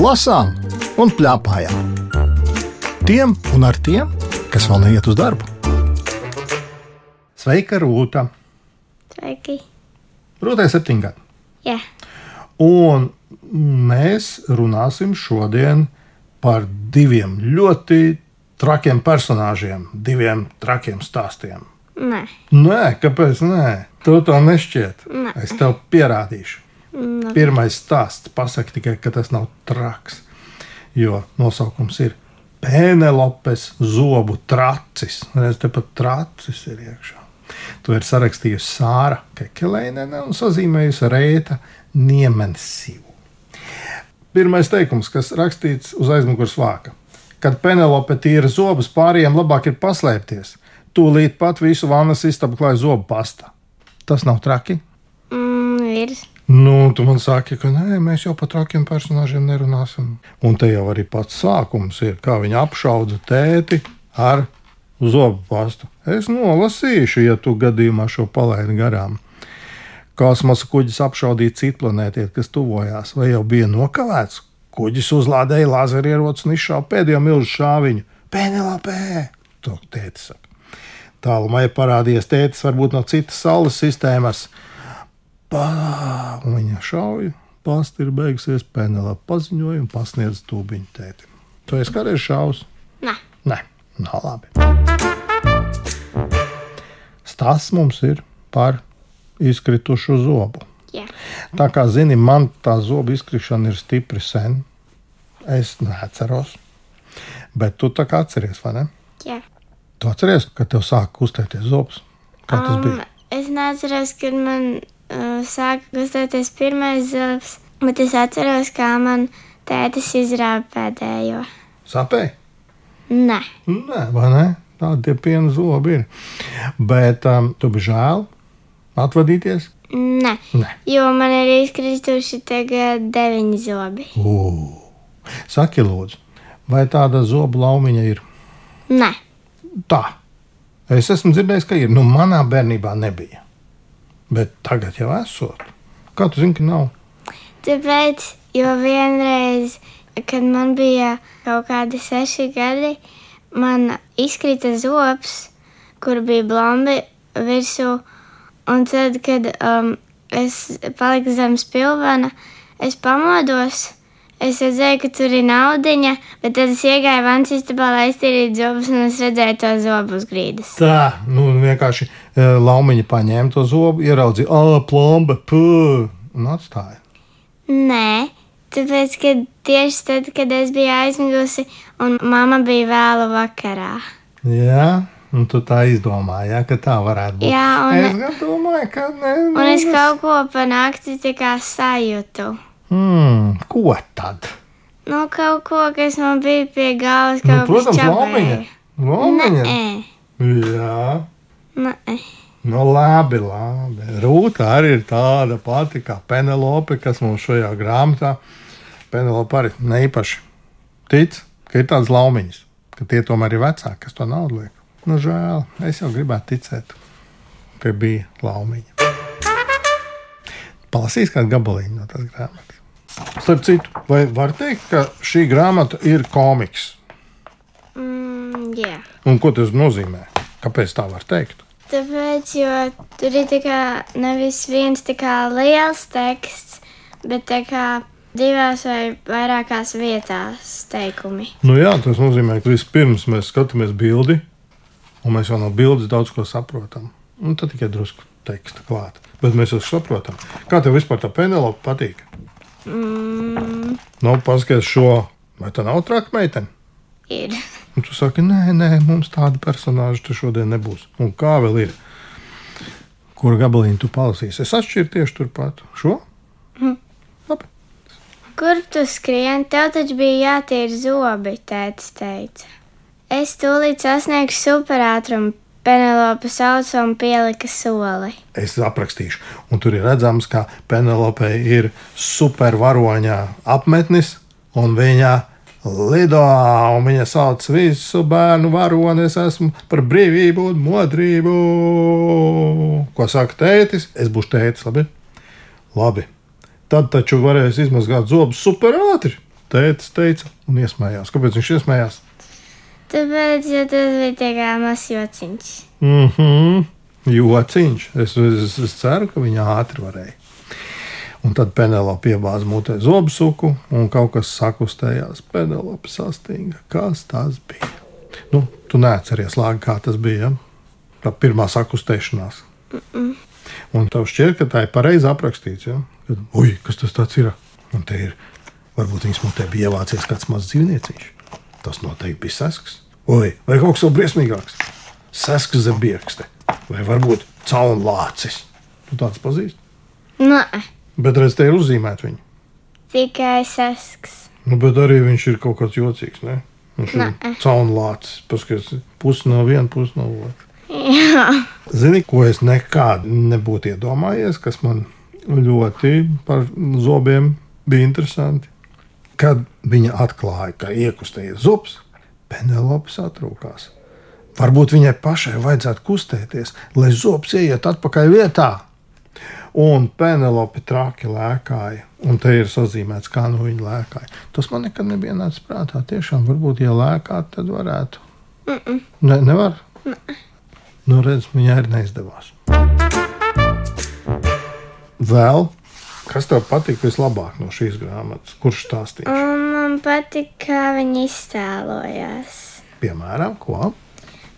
lasām un plēpājām. Tiem un ar tiem, kas vēl neiet uz darbu. Sveika, Rūta! Sveiki! Rūtai 7 gadi. Jā. Un mēs runāsim šodien par 2 ļoti trakiem personāžiem, 2 trakiem stāstiem. Nē. Nē, kāpēc nē? Tu to nešķiet. Nē. Es tev pierādīšu. Nē. Pirmais stāsts, pasaki tikai, ka tas nav traks, jo nosaukums ir Penelopes zobu tracis. Redz, te pat tracis ir iekšā. To ir sarakstījusi Sāra Kekeleinene un sazīmējusi Rēta Niemensivu. Pirmais teikums, kas rakstīts uz aizmugures vāka. Kad Penelope tīra zobus, pārējiem labāk ir paslēpties. Tūlīt pat visu vannas istabu klāja zobu pasta. Tas nav traki? Ir. Nu, tu man saki, ka nē, mēs jau par trakiem personāžiem nerunāsim. Un te jau arī pats sākums ir, kā viņa apšauda tēti ar zobu pastu. Es nolasīšu, ja tu gadījumā šo palaidi garām. Kosmosa kuģis apšaudīja citplanētieti, kas tuvojās, vai jau bija nokavēts? Kuģis uzlādēja lazerieroci un izšāva pēdējo milzu šāviņu. Penelopē! To tēti saka. Tālumā ir parādījies tētis varbūt no citas saules sistēmas. Un viņa šauja, pasta ir beigusies, Penelope paziņoja un pasniedz tūbiņu tētim. Tu esi kādreiz šaus? Nē. Nē, nav labi. Stāsts mums ir par izkritušu zobu. Jā. Tā kā zini, man tā zobu izkrišana ir stipri sen. Es neatceros. Bet tu tā kā atceries, vai ne? Jā. Tu atceries, kad tev sāka kustēties zobs? Kā tas bija? Es neatceros, kad man sāka kustēties pirmais zobs, bet es atceros, kā man tētis izrāva pēdējo. Sāpēja? Nē. Nē, vai ne? Tādi tie piena zobi ir. Bet tu biji žēl atvadīties? Nē. Nē. Jo man ir izkrituši tagad 9 zobi. Saki, lūdzu, vai tāda zobu laumiņa ir? Nē. Tā. Es esmu dzirdējis, ka ir. Nu, manā bērnībā nebija. Bet tagad jau esot. Kā tu zini, ka nav? Tāpēc, jo vienreiz, kad man bija kaut kādi 6 gadi, man izkrita zobs, kur bija blombi virsū. Un tad, kad es paliku zem spilvena, es pamodos. Es redzēju, ka tur ir naudiņa, bet tad es iegāju vannas istabā, lai iztīrītu zobus, un es redzēju to zobu uz grīdas. Tā, nu vienkārši laumiņa paņēma to zobu, ieraudzīja, plomba, un atstāja. Nē, tāpēc, ka tieši tad, kad es biju aizmigusi, un mamma bija vēlu vakarā. Jā, un tu tā izdomāji, ja, ka tā varētu būt. Jā, un es gan domāju, ka ne. Un es kaut ko pa nakti tā kā sajūtu. Ko tad? Nu, kaut ko, kas man bija pie galvas, kaut protams, kas čabēja. Laumiņa? Nē. Jā. Nē. Nu, labi. Rūta arī ir tāda pati kā Penelope, kas mums šajā grāmatā. Penelope arī neīpaši tic, ka ir tādas laumiņas, ka tie tomēr ir vecāki, kas to naudu liek. Nu, žēl, es jau gribētu ticēt, ka bija laumiņa. Palasīs kādu gabaliņu no tās grāmatas. Starp citu, vai var teikt, ka šī grāmata ir komiks? Jā. Un ko tas nozīmē? Kāpēc tā var teikt? Tāpēc, jo tur ir tā kā nevis viens tā kā liels teksts, bet tā kā 2 vai vairākās vietās teikumi. Nu jā, tas nozīmē, ka vispirms mēs skatāmies bildi, un mēs jau no bildes daudz ko saprotam. Un tad tikai drusku teksta klāt. Bet mēs jau saprotam. Kā tev vispār tā Penelope patīk? Nu, paskaties šo. Vai tā nav traka meitene? Ir. Un tu saki, nē, mums tāda personāža tu šodien nebūs. Un kā vēl ir? Kuru gabaliņu tu palasīsi? Es atšķiru tieši turpat. Šo? Labi. Kur tu skrien? Tev taču bija jātīra zobi, tētis teica. Es tūlīt sasniegšu superātrumu. Penelope sauca un pielika soli. Es aprakstīšu. Un tur ir redzams, ka Penelope ir supervaroņā apmetnis, un viņa lido, un viņa sauc visu bērnu varoni, es esmu par brīvību un modrību. Ko saka tētis? Es būšu tētis, labi? Labi. Tad taču varēs izmazgāt zobus super ātri. tētis teica un iesmējās. Kāpēc viņš iesmējās? Tāpēc, ja tas bija tā kā mazs jociņš. Jociņš. Es ceru, ka viņa ātri varēja. Un tad Penelope iebāza mutē zobsuku, un kaut kas sakustējās. Penelope sastinga. Kas tas bija? Nu, tu neatceries, Lāga, kā tas bija, ja? Tā pirmā sakustēšanās. Un tev šķiet, ka tā ir pareizi aprakstīts, ja? Kad, kas tas tāds ir? Un te ir, varbūt viņas mutē bija ievācies kāds mazs dzīvnieciņš. Tas noteikti bija sesks. Vai kaut kas vēl briesmīgāks? Sesks zem biekste. Vai varbūt caunlācis. Tu tāds pazīst? Nē. Bet redz, te ir uzzīmēt viņu. Tikai sesks. Nu, bet arī viņš ir kaut kāds jocīgs, ne? Viņš ir caunlācis. Paskatās, pusi no viena, pusi no otra. Jā. Zini, ko es nekad nebūtu iedomājies, kas man ļoti par zobiem bija interesanti? Kad viņa atklāja, ka iekustējies zobs, Penelope satrūkās. Varbūt viņai pašai vajadzētu kustēties, lai zobs ieiet atpakaļ vietā. Un Penelope traki lēkāja, un te ir sazīmēts, kā nu viņa lēkāja. Tas man nekad nebija nācis prātā. Tiešām, varbūt, ja lēkāt, tad varētu. Nevar? Nu, redz, viņai arī neizdevās. Vēl? Kas tev patīk vislabāk no šīs grāmatas? Kurš stāstīšu? Man patīk, kā viņi iztēlojās. Piemēram, ko?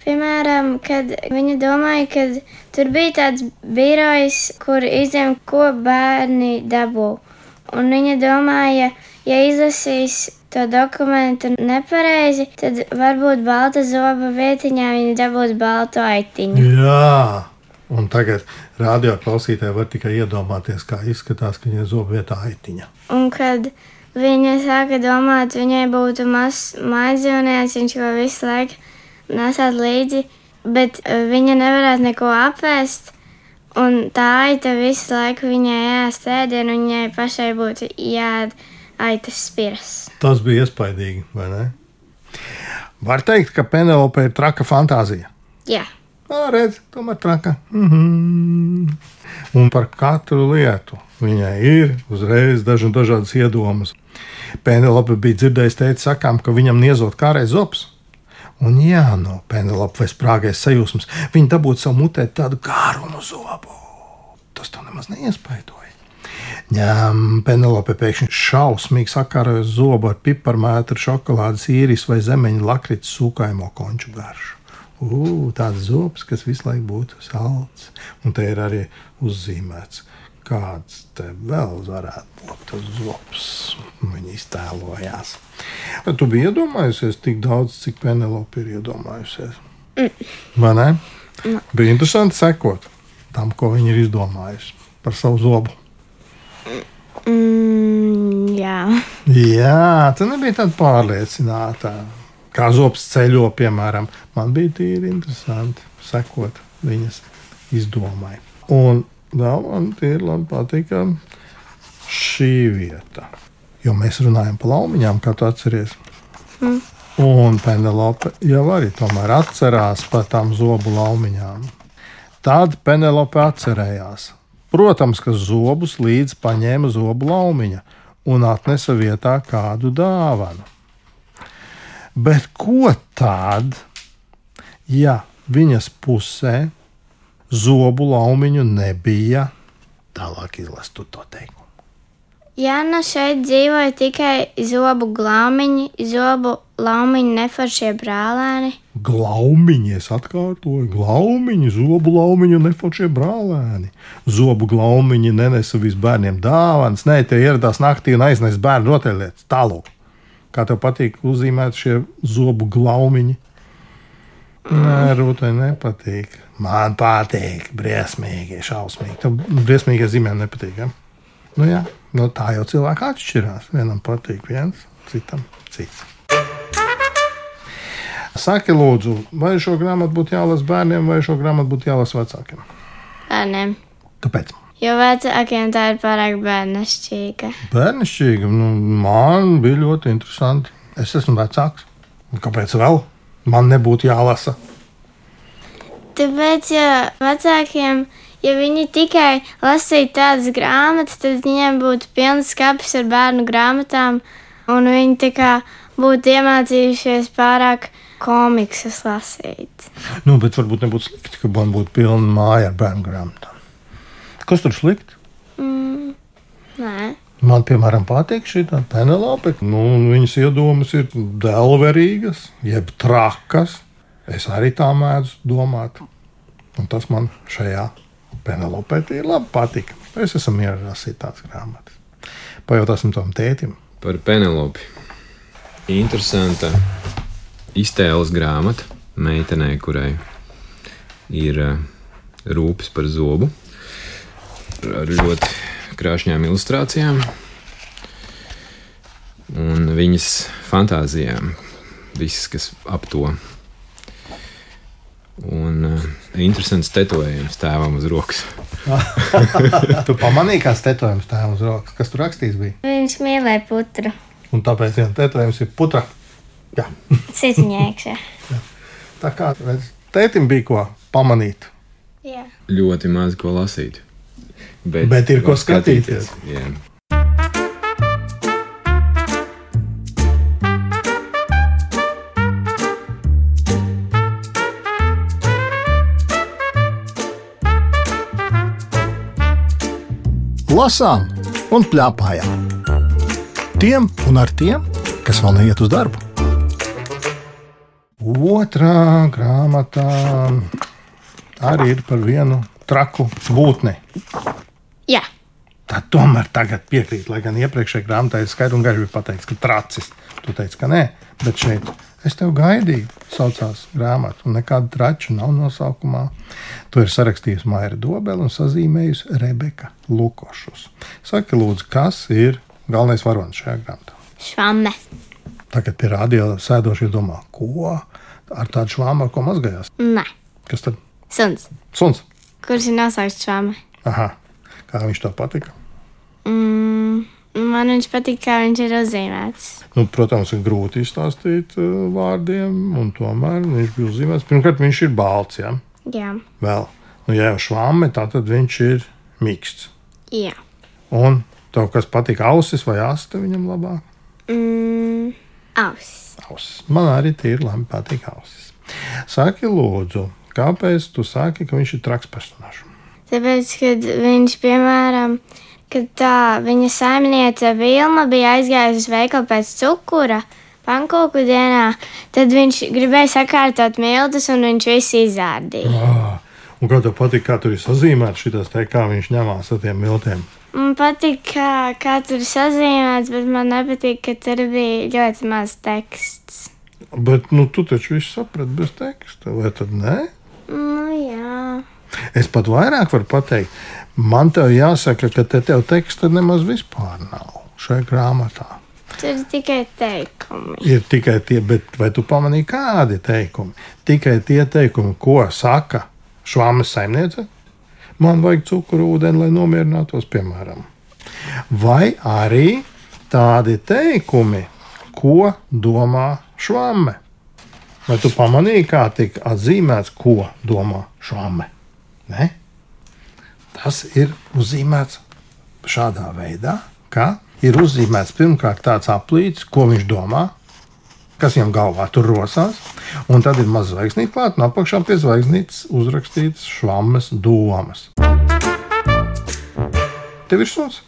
Piemēram, kad viņa domāja, ka tur bija tāds birojs, kur izņem, ko bērni dabū. Un viņa domāja, ja izlasīs to dokumentu nepareizi, tad varbūt balta zoba vietiņā viņa dabūs baltu aitiņu. Jā! Un tagad radioklausītāji var tikai iedomāties, kā izskatās, ka viņa zoba vietā aitiņa. Un kad viņa sāka domāt, viņai būtu mazs mājdzīvnieks, viņš jau visu laiku nesāt līdzi, bet viņa nevarētu neko apēst, un tā aita visu laiku viņai ēst ēdienu, un viņai pašai būtu jāēd aitas spiras. Tas bija iespaidīgi, vai ne? Var teikt, ka Penelope ir traka fantāzija? Jā. Redz, tomēr traka. Un par katru lietu viņai ir uzreiz dažādas iedomas. Penelope bija dzirdējis teikt sakām, ka viņam niezot kāreiz zobs. Un jā, no Penelope vai sprāgais sajūsmas, viņa dabūtu savu mutē tādu kārumu zobu. Tas to nemaz neiespaidoja. Penelope pēkšņi šausmīgi sakāroja zobu ar piparmētru, šokolādes īris vai zemeņu lakrits sūkājumo konču garšu. Tāds zobs, kas visu laiku būtu salds. Un te ir arī uzzīmēts, kāds te vēl varētu būt tas zobs. Viņa iztēlojās. Vai tu biji iedomājusies tik daudz, cik Penelope ir iedomājusies? Vai ne? Bija interesanti sekot tam, ko viņa ir izdomājusi par savu zobu. Jā. Jā, tu nebija tāda pārliecināta. Kā zobs ceļo, piemēram, man bija tīri interesanti sekot viņas izdomai. Un vēl man tīri labi patika šī vieta. Jo mēs runājam par laumiņām, kā tu atceries. Un Penelope jau arī tomēr atcerās par tām zobu laumiņām. Tad Penelope atcerējās. Protams, ka zobus līdz paņēma zobu laumiņa un atnesa vietā kādu dāvanu. Bet ko tad, ja viņas pusē zobu laumiņu nebija? Tālāk izlasu to teikumu. Jāna šeit dzīvoja tikai zobu glaumiņi, zobu laumiņi neforšie brālēni. Glaumiņi, es atkārtoju, glaumiņi, zobu laumiņu neforšie brālēni. Zobu glaumiņi nenesa visu bērniem dāvanas, ne, tie ieradās naktī un aiznesa bērnu rotaļlietas. Tālāk. Kā tev patīk uzzīmēt šie zobu glaumiņi? Nē, Rūtai nepatīk. Man patīk, briesmīgi, šausmīgi. Tev briesmīgi zīmēm nepatīk, ja? Nu jā, tā jau cilvēki atšķirās. Vienam patīk viens, citam cits. Saki, lūdzu, vai šo grāmatu būtu jālasa bērniem, vai šo grāmatu būtu jālasa vecākiem? Bērniem. Kāpēc? Jo vecākiem tā ir pārāk bērnišķīga. Bērnišķīga? Man bija ļoti interesanti. Es esmu vecāks. Kāpēc vēl? Man nebūtu jālasa. Tāpēc, ja vecākiem, ja viņi tikai lasītu tādas grāmatas, tad viņiem būtu pilns skapis ar bērnu grāmatām, un viņi tā kā būtu iemācījušies pārāk komiksus lasīt. Nu, bet varbūt nebūtu slikti, ka man būtu pilna māja ar bērnu grāmatām. Kas tur slikti? Nē. Man, piemēram, patīk šī Penelope. Viņas iedomas ir delverīgas, jeb trakas. Es arī tā mēdzu domāt. Un tas man šajā Penelopē ir labi patīk. Es esmu mierīgi lasīt tās grāmatas. Pajautāsim tam tētim. Par Penelopi. Interesanta iztēles grāmata meitenei, kurai ir rūpes par zobu. Ar ļoti krāšņām ilustrācijām un viņas fantāzijām, viss, kas ap to. Un interesants tetovējums tēvam uz rokas. Tu pamanīji, kāds tetovējums tēvam uz rokas? Kas tur rakstīts bija? Viņš mīlēja putru. Un tāpēc tetovējums ir putra. Jā. Sitiņā iekšā. Tā kā tētim bija ko pamanīt. Jā. Ļoti maz ko lasīt. Bet ir ko skatīties. Jā. Lasām un plēpājām. Tiem un ar tiem, kas vēl neiet uz darbu. Otrā grāmatā arī ir par vienu traku būtni. Jā. Tā tomēr tagad piekrīt, lai gan iepriekšējā grāmatā ir skaidri un gaiši bija pateikts, ka tracis. Tu teici, ka nē, bet šeit es tev gaidīju, saucās grāmata, un nekāda trača nav nosaukumā. To ir sarakstījusi Maira Dobele un sazīmējusi Rebeka Lukošus. Saki, lūdzu, kas ir galvenais varonis šajā grāmatā? Švamme. Tagad pie radio sēdošie domā, ko ar tādu švāmu, ar ko mazgājās? Nē. Kas tad? Suns. Suns. Kurš ir nosaukts švamme? Aha. Kā viņš tev patika? Man viņš patīk, kā viņš ir uzzīmēts. Protams, ir grūti izstāstīt vārdiem, un tomēr viņš bija uzzīmēts. Pirmkārt, viņš ir balts, ja? Jā. Vēl. Ja jau švāme, tad viņš ir mīksts. Jā. Un tev kas patīk, ausis vai asta viņam labāk? Ausis. Ausis. Man arī tīri labi patīk ausis. Saki, lūdzu, kāpēc tu saki, ka viņš ir traks personāžs? Tāpēc, kad viņš, piemēram, kad tā viņa saimniece Vilma bija aizgājusi uz veikalu pēc cukura pankūku dienā, tad viņš gribēja sakārtot miltus un viņš visu izārdīja. Un kā tev patīk, kā tur ir sazīmēts šitas te, kā viņš ņemās ar tiem miltiem? Man patīk, kā tur ir sazīmēts, bet man nepatīk, ka tur bija ļoti maz teksts. Bet, tu taču visu saprati bez teksta, vai tad ne? Jā. Es pat vairāk varu pateikt, man tev jāsaka, ka tev teksta nemaz vispār nav šajā grāmatā. Tur ir tikai teikumi. Ir tikai tie, bet vai tu pamanīji, kādi teikumi? Tikai tie teikumi, ko saka švāmes saimniece. Man vajag cukuru ūdeni, lai nomierinātos, piemēram. Vai arī tādi teikumi, ko domā švāme. Vai tu pamanīji, kā tika atzīmēts, ko domā švāme? Ne? Tas ir uzzīmēts šādā veidā, ka ir uzzīmēts pirmkārt tāds aplīts, ko viņš domā, kas viņam galvā tur rosās, un tad ir maz zvaigznīte klāt, un apakšā pie zvaigznītes uzrakstīts švammes domas. Tev ir suns?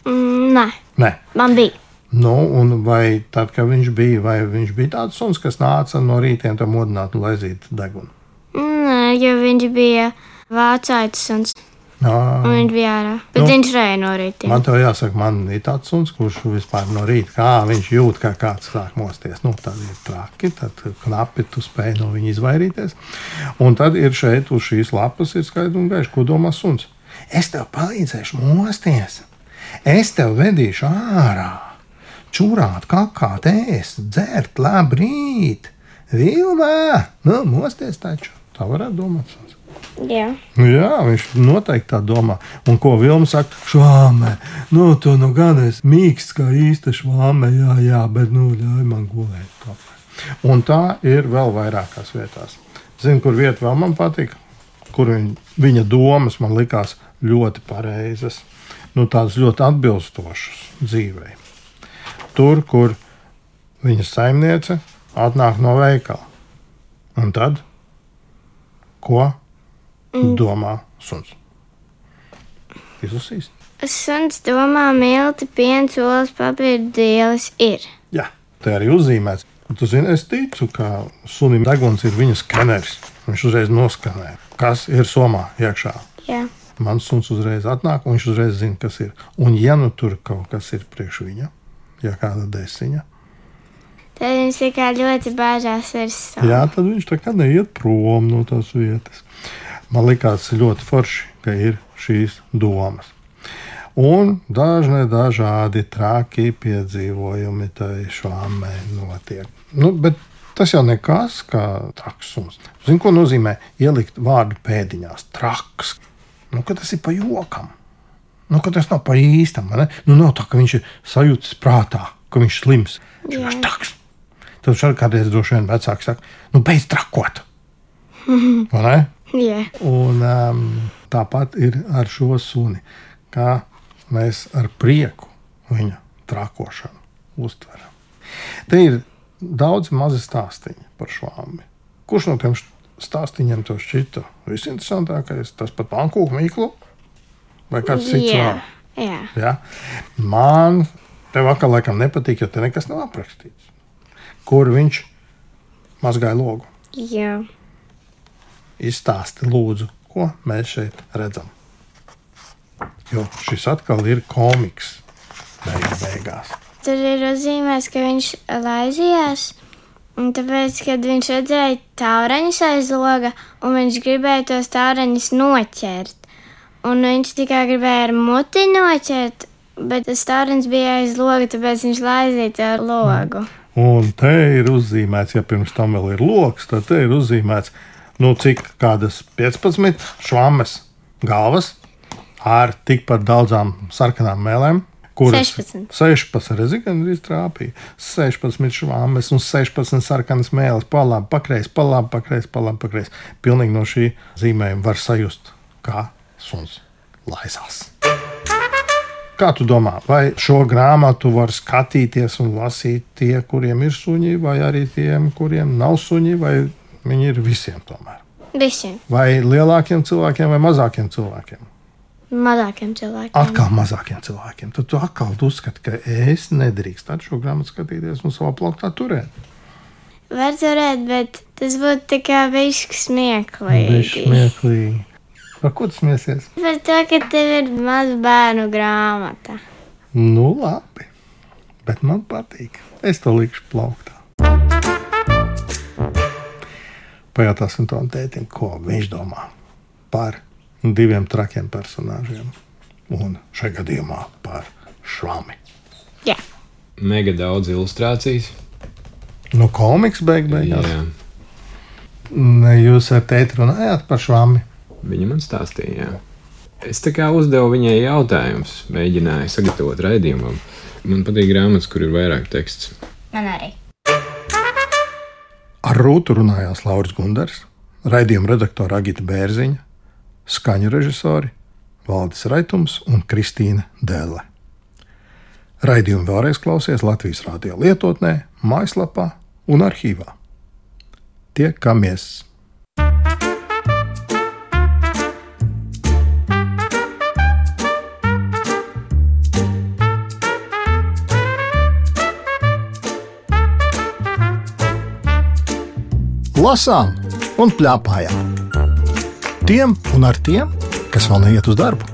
Nē. Nē. Man bija. Un vai tad, kad viņš bija tāds suns, kas nāca no rītiem tam modināt un laizīt degunu? Nē, jo viņš bija vācaitis suns. Un viņš bija ārā. Bet viņš rēja no rītiem. Man tev jāsaka, man ir tāds suns, kurš vispār no rīta, kā viņš jūt, kā kāds sāk mosties. Tad ir traki, tad knapi tu spēj no viņa izvairīties. Un tad ir šeit uz šīs lapas ir skaidri un gaiši, ko domā suns. Es tev palīdzēšu mosties. Es tev vedīšu ārā. Čurāt, kakāt, ēst, dzert, labrīt. Vilmā, mosties taču. Tā varētu domāt suns. Jā. Jā, viņš noteikti tā domā. Un ko Vilma saka? Švāmē, tu gan esi mīksts kā īsta švāmē, jā, bet ļauj man gulēt. Un tā ir vēl vairākās vietās. Zini, kur vieta vēl man patika? Kur viņa domas man likās ļoti pareizas. Tādas ļoti atbilstošas dzīvei. tur, kur viņas saimniece atnāk no veikala. Un tad, ko domā suns? Izlasīs? Suns domā, milti, piens, olas, papīra dielis ir. Jā, te arī uzzīmēts. Un tu zini, es ticu, ka sunim deguns ir viņa skeneris. Viņš uzreiz noskanē, kas ir somā iekšā. Jā. Mans suns uzreiz atnāk, un viņš uzreiz zina, kas ir. Un ja nu tur kaut kas ir priekš viņa, ja kāda desiņa, Tad viņš tikai ļoti bāžās virs savu. jā, tad viņš tā kā neiet prom no tās vietas. Man likās ļoti forši, ka ir šīs domas. Un dažādi traki piedzīvojumi tai švāmei notiek. Bet tas jau nekas, kā traks suns. Zini, ko nozīmē ielikt vārdu pēdiņās? Traks. Ka tas ir pa jokam. Ka tas nav pa īstam. Nav tā, ka viņš ir sajūtis prātā, ka viņš slims. Viņš ir traks. Tad šādi kādreiz droši vien vecāki saka, beidz trakot. Vai ne? Jā. Un tāpat ir ar šo suni, kā mēs ar prieku viņa trakošanu uztveram. Te ir daudz mazi stāstiņi par švāmi. Kurš no tiem stāstiņiem tev šķita visinteresantākais? Tas pat pankūku mīklu? Vai kāds cits vēl? Jā. Man tev atkal laikam nepatīk, jo te nekas nav aprakstīts. Kur viņš mazgāja logu? Jā. Izstāsti lūdzu, ko mēs šeit redzam. Jo šis atkal ir komiks beigās. Tur ir uzzīmēts, ka viņš laizījās, un tāpēc, kad viņš redzēja taureņus aiz loga, un viņš gribēja tos taureņus noķert. Un viņš tikai gribēja ar muti noķert, bet tas taureņs bija aiz loga, tāpēc viņš laizīja to logu. Un te ir uzzīmēts, ja pirms tam vēl ir loks, tad te ir uzzīmēts, cik kādas 15 švammes galvas ar tikpat daudzām sarkanām mēlēm, kuras 16 reizes trāpīja. 16 švammes un 16 sarkanas mēles, pa labi, pakreis. Pilnīgi no šī zīmējuma var sajust, kā suns laizās. Kā tu domā, vai šo grāmatu var skatīties un lasīt tie, kuriem ir suņi, vai arī tiem, kuriem nav suņi, vai viņi ir visiem tomēr? Visiem. Vai lielākiem cilvēkiem vai mazākiem cilvēkiem? Mazākiem cilvēkiem. Atkal mazākiem cilvēkiem. Tad tu atkal uzskati, ka es nedrīkstu šo grāmatu skatīties un savā plauktā turēt. Var turēt, bet tas būtu tikai bišķi smieklīgi. Par ko tu smiesies? Par to, ka tev ir maza bērnu grāmata. Labi, bet man patīk. Es to likšu plauktā. Pajautāsim tam tētim, ko viņš domā par 2 trakiem personāžiem un šajā gadījumā par švami. Jā. Mega daudz ilustrācijas. Komiks beigās. Jā. Jūs ar tēti runājāt par švami? Viņa man stāstīja, jā. Es tā kā uzdevu viņai jautājumus, mēģināju sagatavot raidījumam. Man patīk grāmatas, kur ir vairāk teksts. Man arī. Ar Rūtu runājās Lauris Gundars, raidījuma redaktora Agita Bērziņa, skaņu režisori Valdis Raitums un Kristīna Dēle. Raidījumu vēlreiz klausies Latvijas radio lietotnē, mājaslapā un arhīvā. Tiekamies! Lasām un plēpājām. Tiem un ar tiem, kas vēl neiet uz darbu.